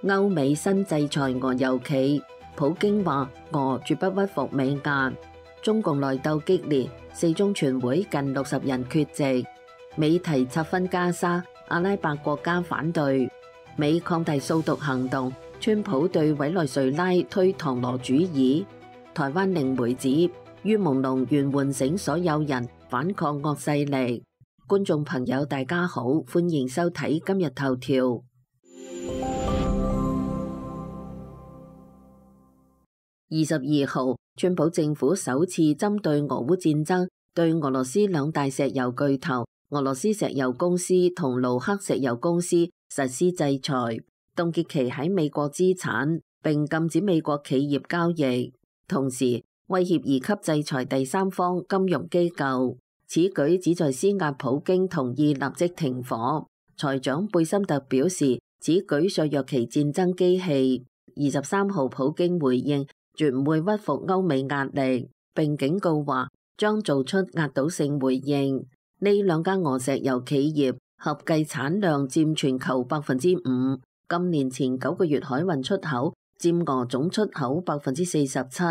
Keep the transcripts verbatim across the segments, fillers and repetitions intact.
歐美新制裁俄油企，普京話俄絕不屈服美壓。中共內鬥激烈，四中全會近六十人缺席。美提拆分加沙，阿拉伯國家反對。美擴大掃毒行動，川普對委內瑞拉推唐羅主義。台灣靈媒指于朦朧願喚醒所有人反抗惡勢力。觀眾朋友大家好，歡迎收睇今日頭條。二十二號，川普政府首次針對俄烏戰爭，對俄羅斯兩大石油巨頭俄羅斯石油公司同盧克石油公司實施制裁，凍結其喺美國資產，並禁止美國企業交易，同時威脅二級制裁第三方金融機構。此舉旨在施壓普京同意立即停火。財長貝森特表示，此舉削弱其戰爭機器。二十三號，普京回應絕唔會屈服歐美壓力，並警告話將做出壓倒性回應。呢兩家俄石油企業合計產量佔全球百分之五，今年前九個月海運出口佔俄總出口百分之四十七。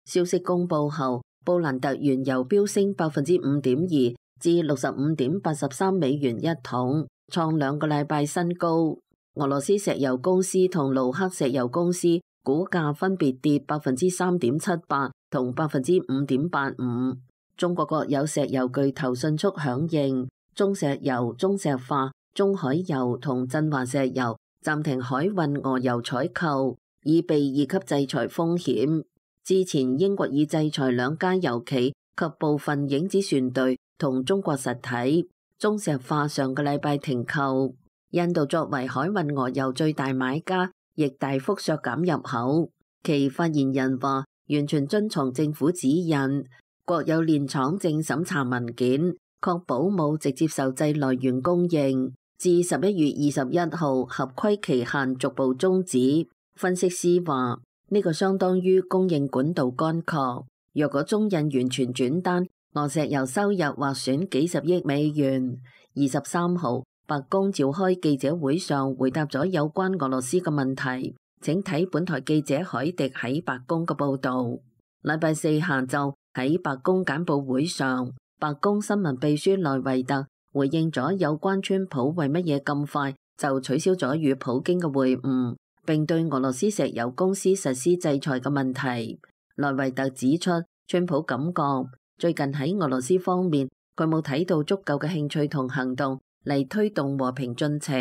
消息公佈後，布蘭特原油飆升百分之五點二至六十五點八十三美元一桶，創兩個禮拜新高。俄羅斯石油公司同盧克石油公司股價分別跌百分之三點七八同百分之五點八五。中國國有石油巨頭迅速響應，中石油、中石化、中海油同振華石油暫停海運俄油採購，以避二級制裁風險。之前英國已制裁兩家油企及部分影子船隊同中國實體。中石化上個禮拜停購。印度作為海運俄油最大買家，亦大幅削減入口。其發言人話，完全遵從政府指引，國有煉廠正審查文件，確保冇直接受制來源供應。至十一月二十一號合規期限逐步終止。分析師話，呢個相當於供應管道乾涸。若果中印完全轉單，俄石油收入或損幾十億美元。二十三號，白宮召開記者會上回答咗有關俄羅斯嘅問題，請睇本台記者海迪喺白宮嘅報導。禮拜四下晝喺白宮簡報會上，白宮新聞秘書內維特回應咗有關川普為乜嘢咁快就取消咗與普京嘅會晤，並對俄羅斯石油公司實施制裁嘅問題。內維特指出，川普感覺最近喺俄羅斯方面，佢冇睇到足夠嘅興趣同行動嚟推動和平進程。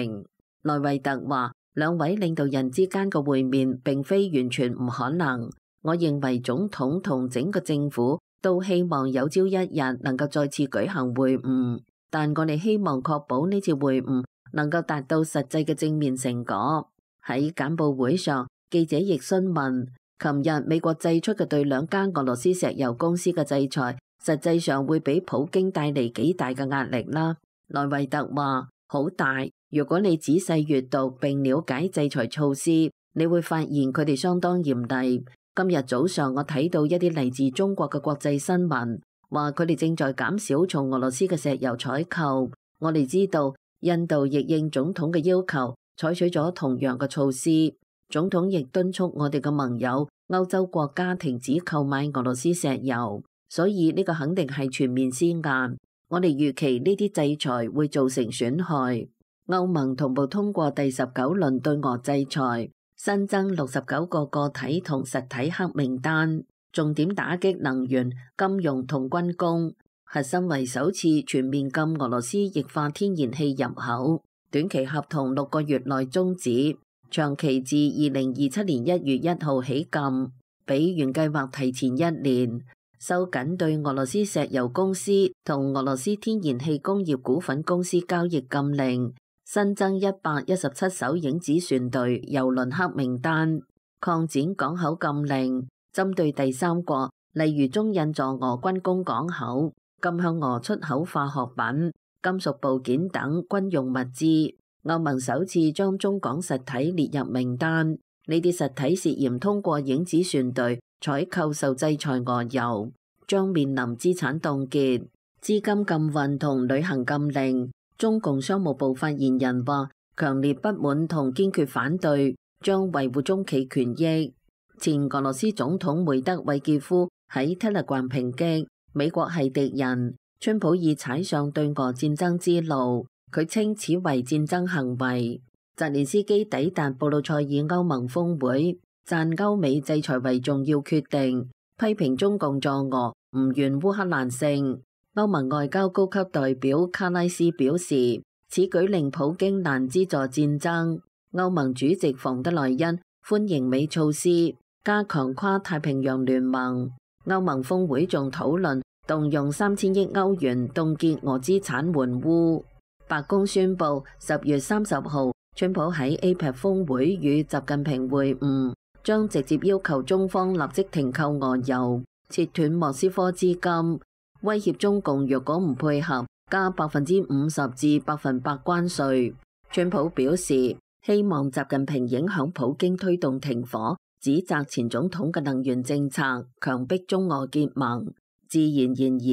內維特話，兩位領導人之間嘅會面並非完全唔可能。我認為總統同整個政府都希望有朝一日能夠再次舉行會晤，但我哋希望確保呢次會晤能夠達到實際嘅正面成果。喺簡報會上，記者亦詢問，琴日美國祭出嘅對兩間俄羅斯石油公司嘅制裁，實際上會俾普京帶嚟幾大嘅壓力啦？內維特話，好大。如果你仔細閱讀並了解制裁措施，你會發現佢哋相當嚴厲。今日早上我睇到一啲嚟自中國嘅國際新聞，話佢哋正在減少從俄羅斯嘅石油採購。我哋知道印度亦應總統嘅要求採取咗同樣嘅措施。總統亦敦促我哋嘅盟友歐洲國家停止購買俄羅斯石油，所以呢個肯定係全面施壓。我哋預期呢啲制裁會造成損害。歐盟同步通過第十九輪對俄制裁，新增六十九個個體同實體黑名單，重點打擊能源、金融同軍工，核心為首次全面禁俄羅斯液化天然氣入口，短期合同六個月內終止，長期至二零二七年一月一號起禁，比原計劃提前一年。收緊對俄羅斯石油公司同俄羅斯天然氣工業股份公司交易禁令，新增一百一十七艘影子船隊郵輪黑名單，擴展港口禁令，針對第三國，例如中印助俄軍工港口，禁向俄出口化學品、金屬部件等軍用物資。歐盟首次將中港實體列入名單，呢啲實體涉嫌通過影子船隊採購受制裁俄油，將面臨資產凍結、資金禁運同旅行禁令。中共商務部發言人話，強烈不滿同堅決反對，將維護中企權益。前俄羅斯總統梅德韋傑夫喺 Telegram 抨擊美國係敵人，川普已踩上對俄戰爭之路，佢稱此為戰爭行為。澤連斯基抵達布魯塞爾歐盟峰會，讚歐美制裁為重要決定，批評中共助俄唔願烏克蘭勝。歐盟外交高級代表卡拉斯表示，此舉令普京難資助戰爭。歐盟主席馮德萊恩歡迎美措施，加強跨太平洋聯盟。歐盟峰會仲討論動用三千億歐元凍結俄資產援烏。白宮宣布十月三十號，川普喺 A P E C 峰會與習近平會晤，將直接要求中方立即停購俄油，切斷莫斯科資金，威脅中共若果唔配合，加百分之五十至百分百關稅。川普表示希望習近平影響普京推動停火，指責前總統嘅能源政策，強迫中俄結盟。自然然而，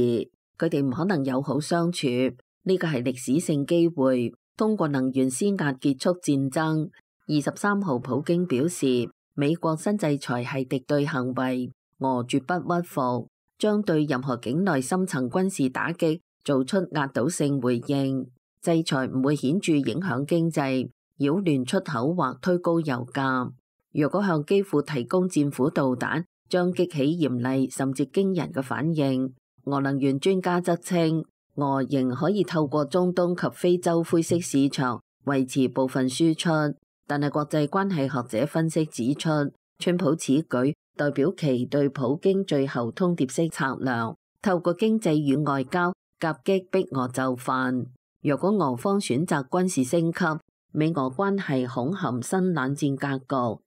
佢哋唔可能友好相處，呢個係歷史性機會，通過能源施壓結束戰爭。二十三號，普京表示美國新制裁係敵對行為，俄絕不屈服，將對任何境內深層軍事打擊做出壓倒性回應。制裁唔會顯著影響經濟，擾亂出口或推高油價。若果向基輔提供戰斧導彈，將激起嚴厲甚至驚人嘅反應。俄能源專家則稱，俄仍可以透過中東及非洲灰色市場維持部分輸出，但係國際關係學者分析指出，川普此舉代表其對普京最後通牒式策略，透過經濟與外交夾擊逼俄就範。若果俄方選擇軍事升級，美俄關係恐陷新冷戰格局。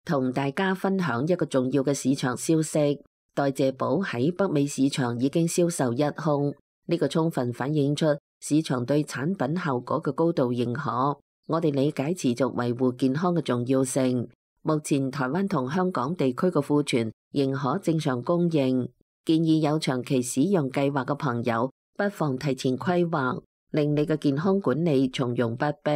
同大家分享一個重要嘅市場消息，代謝寶喺北美市場已經銷售一空，呢個充分反映出市場對產品效果嘅高度認可。我哋理解持續維護健康嘅重要性。目前台灣同香港地區嘅庫存仍可正常供應，建議有長期使用計劃嘅朋友不妨提前規劃，令你嘅健康管理從容不迫。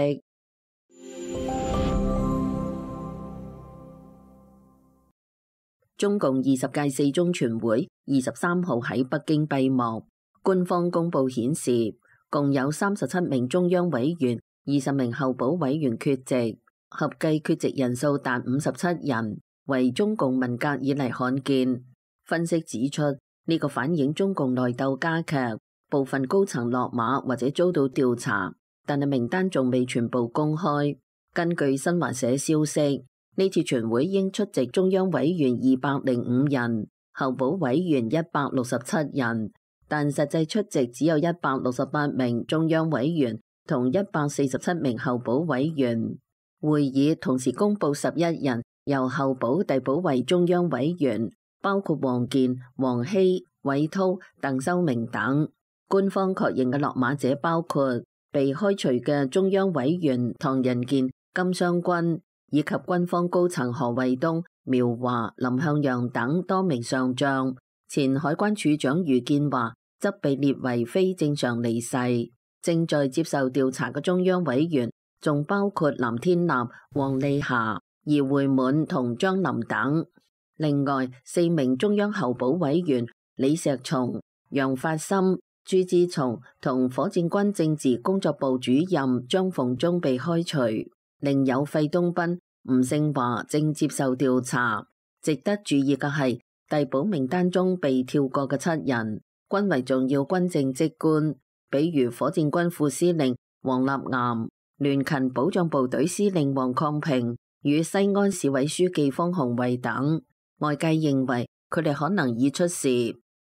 中共二十屆四中全會二十三號喺北京閉幕，官方公佈顯示，共有三十七名中央委員、二十名候補委員缺席，合計缺席人數達五十七人，為中共文革以嚟罕見。分析指出，呢個反映中共內鬥加劇，部分高層落馬或者遭到調查，但係名單仲未全部公開。根據新華社消息，呢次全會應出席中央委員二百零五人，候補委員一百六十七人，但實際出席只有一百六十八名中央委員同一百四十七名候補委員。會議同時公布十一人由候補遞補為中央委員，包括王健、王希、韋濤、鄧修明等。官方確認嘅落馬者包括被開除嘅中央委員唐人健、金湘軍，以及軍方高層何衛東、苗華、林向陽等多名上將。前海關處長余建華則被列為非正常離世。正在接受調查嘅中央委員仲包括藍天立、黃麗霞、葉會滿同張林等。另外四名中央候補委員李石松、楊發森、朱志松同火箭軍政治工作部主任張逢忠被開除，另有費東斌、吳勝華正接受調查。值得注意嘅係，遞補名單中被跳過嘅七人均為重要軍政職官，比如火箭軍副司令黃立岩、聯勤保障部隊司令黃抗平與西安市委書記方鴻衛等。外界認為佢哋可能已出事。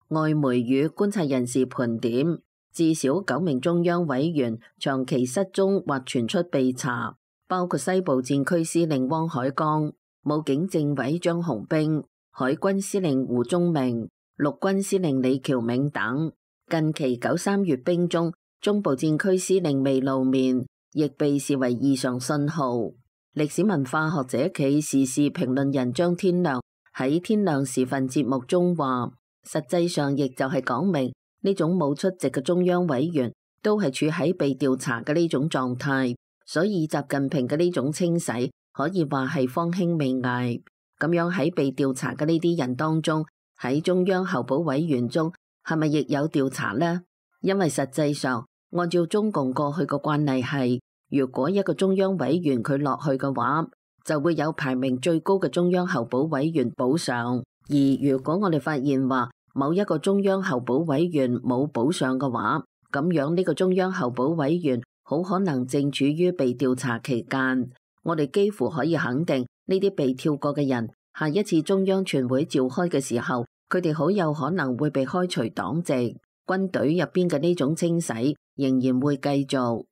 外媒與觀察人士盤點，至少九名中央委員長期失蹤或傳出被查，包括西部戰區司令汪海江、武警政委張洪兵、海軍司令胡宗明、陸軍司令李喬銘等。近期九三閱兵中，中部戰區司令未露面，亦被視為異常信號。歷史文化學者暨時事評論人張天亮喺天亮時分節目中話，實際上亦就係講明呢種冇出席嘅中央委員都係處喺被調查嘅呢種狀態，所以習近平嘅呢種清洗可以話係方興未艾。咁樣喺被調查嘅呢啲人當中，喺中央候補委員中係咪亦有調查呢？因為實際上按照中共過去嘅慣例係，如果一個中央委員佢落去嘅話，就會有排名最高嘅中央候補委員補上。而如果我哋發現話某一個中央候補委員冇補上嘅話，咁樣呢個中央候補委員好可能正處於被調查期間。我哋幾乎可以肯定，呢啲被跳過嘅人，下一次中央全會召開嘅時候，佢哋好有可能會被開除黨籍。軍隊入邊嘅呢種清洗仍然會繼續。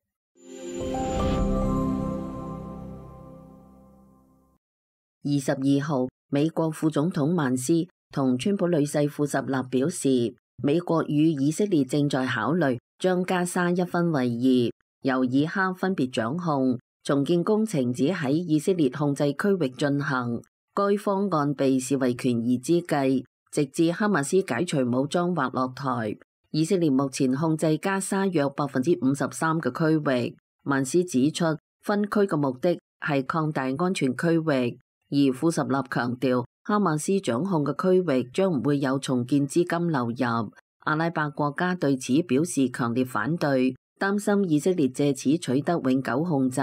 二十二號，美國副總統曼斯同川普女婿庫什納表示，美國與以色列正在考慮將加沙一分為二，由以哈分別掌控。重建工程只喺以色列控制區域進行，該方案被視為權宜之計，直至哈馬斯解除武裝或落台。以色列目前控制加沙約百分之五十三嘅區域。曼斯指出，分區嘅目的係擴大安全區域，而庫什納強調，哈馬斯掌控嘅區域將唔會有重建資金流入。阿拉伯國家對此表示強烈反對，擔心以色列借此取得永久控制，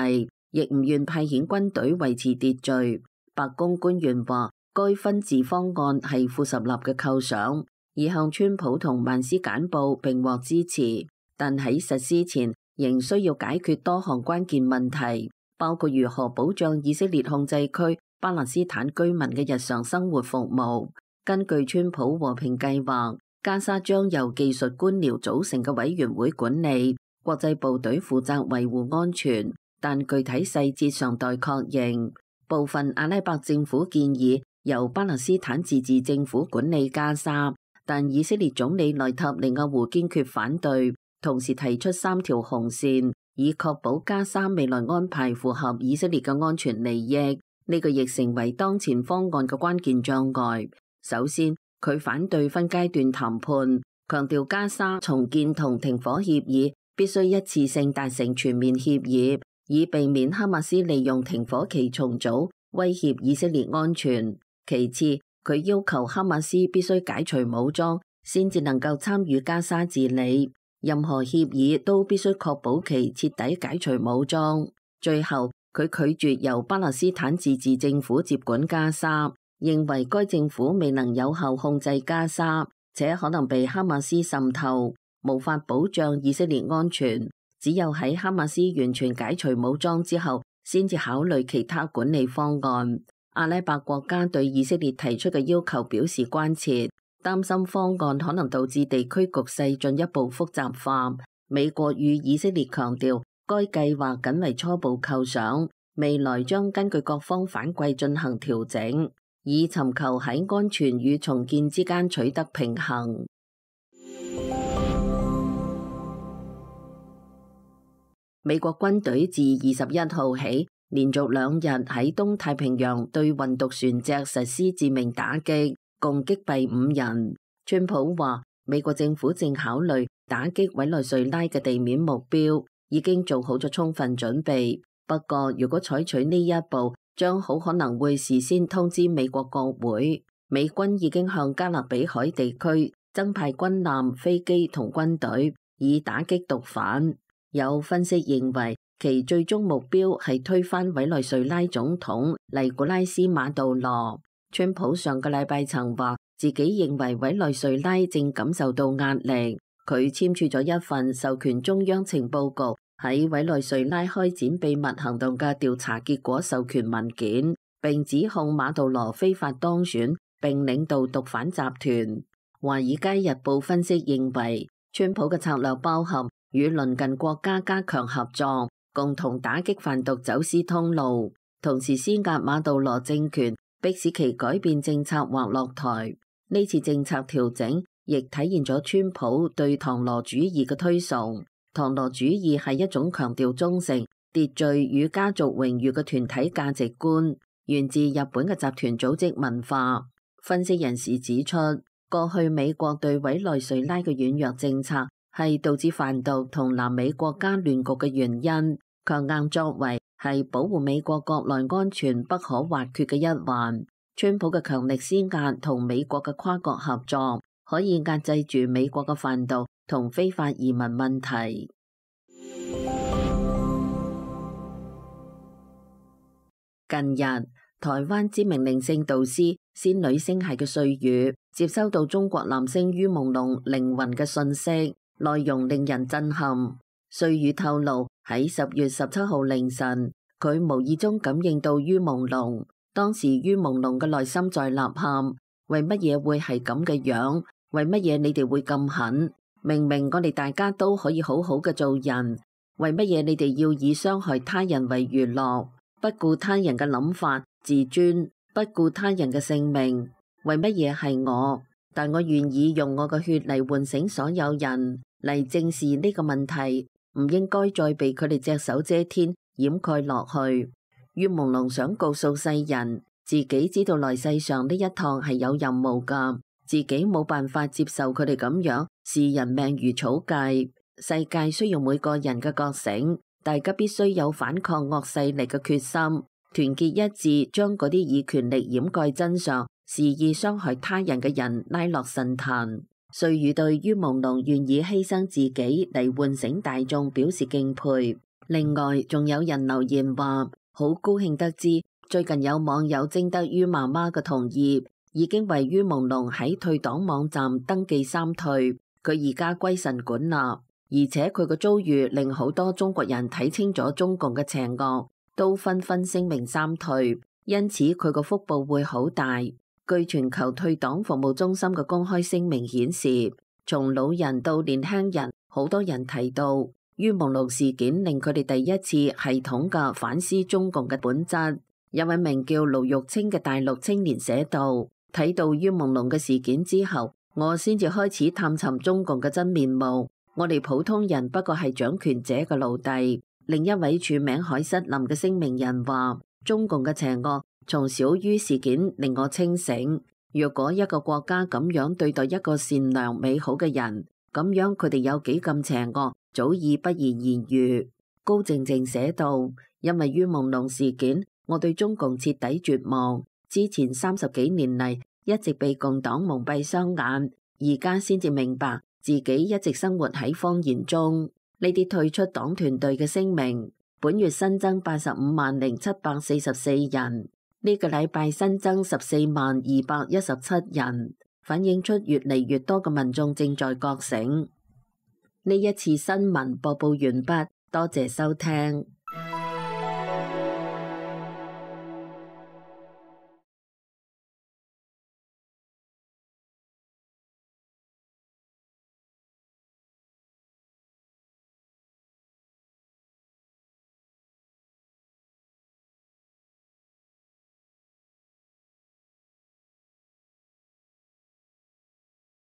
亦唔願派遣軍隊維持秩序。白宮官員話，該分治方案係庫什納嘅構想，已向川普同曼斯簡報並獲支持，但喺實施前仍需要解決多項關鍵問題，包括如何保障以色列控制區巴勒斯坦居民嘅日常生活服務。根據川普和平計劃，加沙將由技術官僚組成嘅委員會管理，國際部隊負責維護安全，但具體細節尚待確認。部分阿拉伯政府建議由巴勒斯坦自治政府管理加沙，但以色列總理內塔尼亞胡堅決反對，同時提出三條紅線，以確保加沙未來安排符合以色列嘅安全利益。呢個亦成為當前方案嘅關鍵障礙。首先，佢反對分階段談判，強調加沙重建同停火協議必須一次性達成全面協議，以避免哈馬斯利用停火期重組威脅以色列安全。其次，佢要求哈馬斯必須解除武裝，先至能夠參與加沙治理。任何協議都必須確保其徹底解除武裝。最後，佢拒絕由巴勒斯坦自治政府接管加沙，認為該政府未能有效控制加沙，且可能被哈馬斯滲透，無法保障以色列安全。只有喺哈馬斯完全解除武裝之後，先至考慮其他管理方案。阿拉伯國家對以色列提出嘅要求表示關切，擔心方案可能導致地區局勢進一步複雜化。美國與以色列強調，該計劃僅為初步構想，未來將根據各方反饋進行調整，以尋求喺安全與重建之間取得平衡。美國軍隊自二十一號起，連續兩日喺東太平洋對運毒船隻實施致命打擊，共擊斃五人。川普話，美國政府正考慮打擊委內瑞拉嘅地面目標，已經做好咗充分準備。不過，如果採取呢一步，將好可能會事先通知美國國會。美軍已經向加勒比海地區增派軍艦、飛機同軍隊，以打擊毒販。有分析認為，其最終目標係推翻委內瑞拉總統尼古拉斯馬杜羅。川普上個禮拜曾話自己認為委內瑞拉正感受到壓力，佢簽署咗一份授權中央情報局喺委內瑞拉開展秘密行動嘅調查結果授權文件，並指控馬杜羅非法當選並領導毒販集團。華爾街日報分析認為，川普嘅策略包含與鄰近國家加強合作，共同打擊販毒走私通路，同時施壓馬杜羅政權，迫使其改變政策或落台。呢次政策調整亦體現咗川普對唐羅主義嘅推崇。唐羅主義係一種強調忠誠、秩序與家族榮譽嘅團體價值觀，源自日本嘅集團組織文化。分析人士指出，過去美國對委內瑞拉嘅軟弱政策係導致販毒同南美國家亂局嘅原因，強硬作為係保護美國國內安全不可或缺嘅一環。川普嘅強力施壓同美國嘅跨國合作，可以壓制住美國嘅販毒同非法移民問題。近日，台灣知名靈性導師仙女星系嘅瑞宇接收到中國男星于朦朧靈魂嘅訊息，內容令人震撼。瑞宇透露喺十月十七號凌晨，佢無意中感應到于朦朧，當時于朦朧嘅內心在吶喊：為乜嘢會係咁嘅樣？為乜嘢你哋會咁狠？明明我哋大家都可以好好嘅做人，為乜嘢你哋要以傷害他人為娛樂？不顧他人嘅諗法、自尊，不顧他人嘅性命，為乜嘢係我？但我願意用我嘅血嚟喚醒所有人，嚟正視呢個問題，唔應該再被佢哋隻手遮天掩蓋落去。于朦朧想告訴世人，自己知道來世上呢一趟係有任務噶，自己冇辦法接受佢哋咁樣視人命如草芥。世界需要每個人嘅覺醒。大家必須有反抗惡勢力嘅決心，團結一致，將嗰啲以權力掩蓋真相、肆意傷害他人嘅人拉落神壇。瑞宇對于朦朧願意犧牲自己嚟喚醒大眾表示敬佩。另外，仲有人留言話，好高興得知最近有網友徵得于媽媽嘅同意，已經為于朦朧喺退黨網站登記三退，佢而家歸神管啦。而且佢嘅遭遇令好多中國人睇清咗中共嘅邪惡，都紛紛聲明三退，因此佢個福報會好大。據全球退黨服務中心嘅公開聲明顯示，從老人到年輕人，好多人提到于朦朧事件令佢哋第一次系統嘅反思中共嘅本質。一位名叫盧玉清嘅大陸青年寫道：睇到于朦朧嘅事件之後，我先至開始探尋中共嘅真面目。我哋普通人不過係掌權者嘅奴隸。另一位署名海瑟林嘅聲明人話：中共嘅邪惡從小于事件令我清醒。若果一個國家咁樣對待一個善良美好嘅人，咁樣佢哋有幾咁邪惡，早已不言言喻。高靜靜寫道：因為于朦朧事件，我對中共徹底絕望。之前三十幾年嚟一直被共黨蒙蔽雙眼，而家先至明白。自己一直生活喺謊言中。呢啲退出黨團隊嘅聲明，本月新增八十五萬零七百四十四人，呢個禮拜新增十四萬二百一十七人，反映出越嚟越多嘅民眾正在覺醒。呢一次新聞播報完畢，多謝收聽。